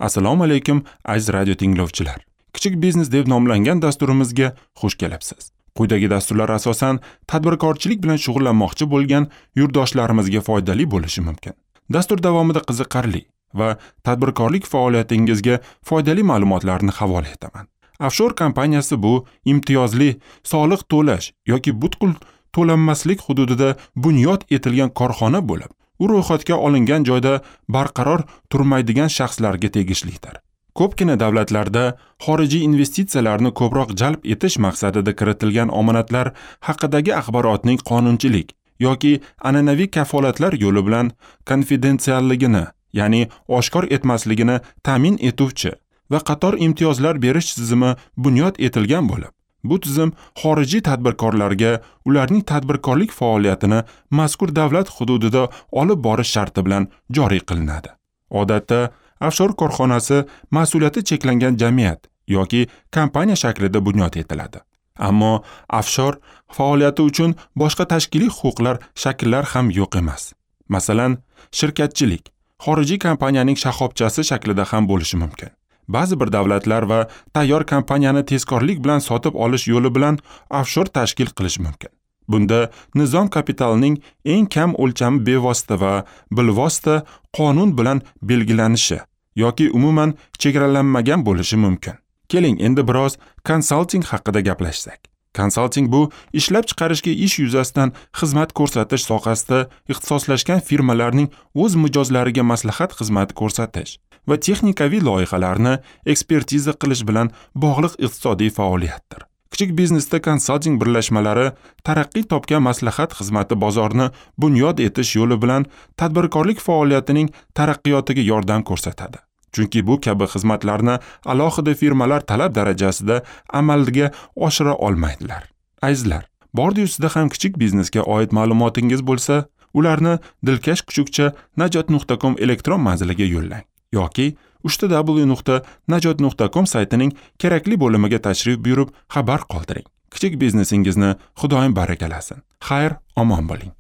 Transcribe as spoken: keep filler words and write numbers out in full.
Assalomu alaykum aziz radio tinglovchilar. Kichik biznes deb nomlangan dasturimizga xush kelibsiz. Quyidagi dasturlar asosan tadbirkorchilik bilan shug'ullanmoqchi bo'lgan yurtdoshlarimizga foydali bo'lishi mumkin. Dastur davomida qiziqarli va tadbirkorlik faoliyatingizga foydali ma'lumotlarni havola etaman. Offshore kompaniyasi bu imtiyozli soliq to'lash yoki butkul to'lanmaslik hududida bunyod etilgan korxona bo'lib, u ro'yxatga olingan joyda barqaror turmaydigan shaxslarga tegishlidir. Ko'pgina davlatlarda xorijiy investitsiyalarni ko'proq jalb etish maqsadida kiritilgan omonatlar haqidagi axborotning qonunchilik yoki an'anaviy kafolatlar yo'li bilan konfidensialligini, ya'ni oshkor etmasligini ta'min etuvchi va qator imtiyozlar berish tizimi bunyod etilgan bo'lib, bu tizim xorijiy tadbirkorlarga ularning tadbirkorlik faoliyatini mazkur davlat hududida olib borish sharti bilan joriy qilinadi. Odatda offshore korxonasi mas'uliyati cheklangan jamiyat yoki kompaniya shaklida bunyod etiladi. Ammo offshore faoliyati uchun boshqa tashkiliy huquqlar shakllar ham yo'q emas. Masalan, shirkatchilik xorijiy kompaniyaning shoxobchasi shaklida ham bo'lishi mumkin. Ba'zi bir davlatlar va tayyor kompaniyani tezkorlik bilan sotib olish yo'li bilan offshore tashkil qilish mumkin. Bunda nizom kapitalining eng kam o'lchami bevosita va bilvosita qonun bilan belgilanishi yoki umuman chegaralanmagan bo'lishi mumkin. Keling, endi biroz konsalting haqida gaplashsak. Konsalting bu ishlab chiqarishga ish yuzasidan xizmat ko'rsatish sohasida ixtisoslashgan firmalarning o'z mijozlariga maslahat xizmati ko'rsatish va texnikaviy loyihalarni ekspertiza qilish bilan bog'liq iqtisodiy faoliyatdir. Kichik biznesda konsalting birlashmalari taraqqiy topgan maslahat xizmati bozorini bunyod etish yo'li bilan tadbirkorlik faoliyatining taraqqiyotiga yordam ko'rsatadi. Chunki bu kabi xizmatlarni alohida firmalar talab darajasida amalga oshira olmaydilar. Azizlar, bordi sizda ham kichik biznesga oid ma'lumotingiz bo'lsa, ularni dilkash kuchukcha najot nuqta com elektron manziliga yo'llang yoki uchta w nuqta najot nuqta com saytining kerakli bo'limiga tashrif buyurib xabar qoldiring. Kichik biznesingizni Xudoyim barakalasin. Xayr, omon bo'ling.